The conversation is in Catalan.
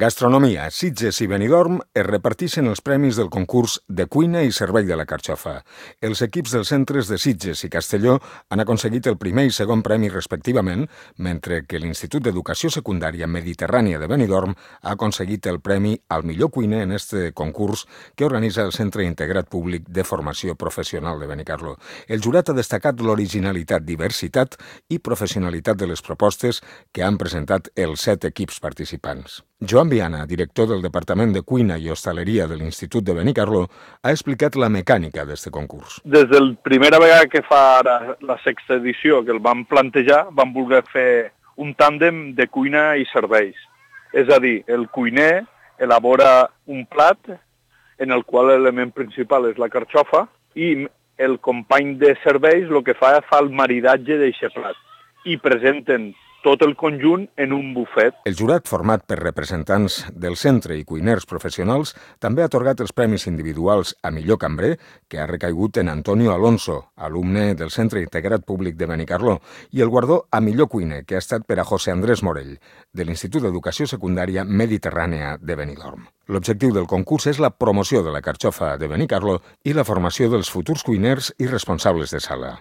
Gastronomia, Sitges i Benidorm es reparteixen els premis del concurs de cuina i servei de la carxofa. Els equips dels centres de Sitges i Castelló han aconseguit el primer i segon premi respectivament, mentre que l'Institut d'Educació Secundària Mediterrània de Benidorm ha aconseguit el premi al millor cuiner en este concurs que organitza el Centre Integrat Públic de Formació Professional de Benicarló. El jurat ha destacat l'originalitat, diversitat i professionalitat de les propostes que han presentat els 7 equips participants. Joan Viana, director del Departament de Cuina i Hostaleria de l'Institut de Benicarló, ha explicat la mecànica d'aquest concurs. Des de la primera vegada que fa ara la 6ª edició que el vam plantejar, vam voler fer un tàndem de cuina i serveis. És a dir, el cuiner elabora un plat en el qual l'element principal és la carxofa i el company de serveis el que fa el maridatge d'aquest plat i presenten tot el conjunt en un bufet. El jurat, format per representants del centre i cuiners professionals, també ha atorgat els premis individuals a millor cambrer, que ha recaigut en Antonio Alonso, alumne del Centre Integrat Públic de Benicarló, i el guardó a millor cuiner, que ha estat per a José Andrés Morell, de l'Institut d'Educació Secundària Mediterrània de Benidorm. L'objectiu del concurs és la promoció de la carxofa de Benicarló i la formació dels futurs cuiners i responsables de sala.